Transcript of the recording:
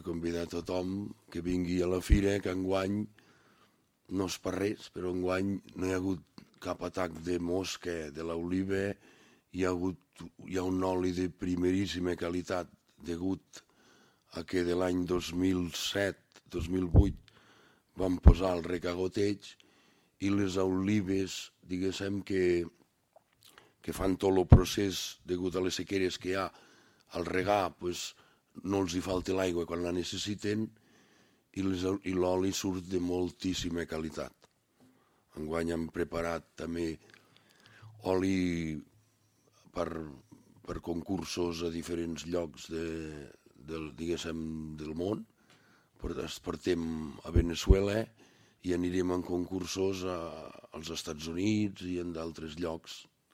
convidar a tothom que vingui a la fira, que enguany no és per res, però enguany no hi ha hagut cap atac de mosca de l'oliva, hi ha un oli de primeríssima qualitat degut a que de l'any 2007-2008 vam posar el recagoteig i les olives, diguéssim, que fan tot el procés degut a les sequeres que hi ha al regar, no els hi falta l'aigua quan la necessiten i l'oli surt de moltíssima qualitat. Enguany hem preparat també oli per concursos a diferents llocs del món. Portem a Veneçuela i anirem en concursos als Estats Units i en d'altres llocs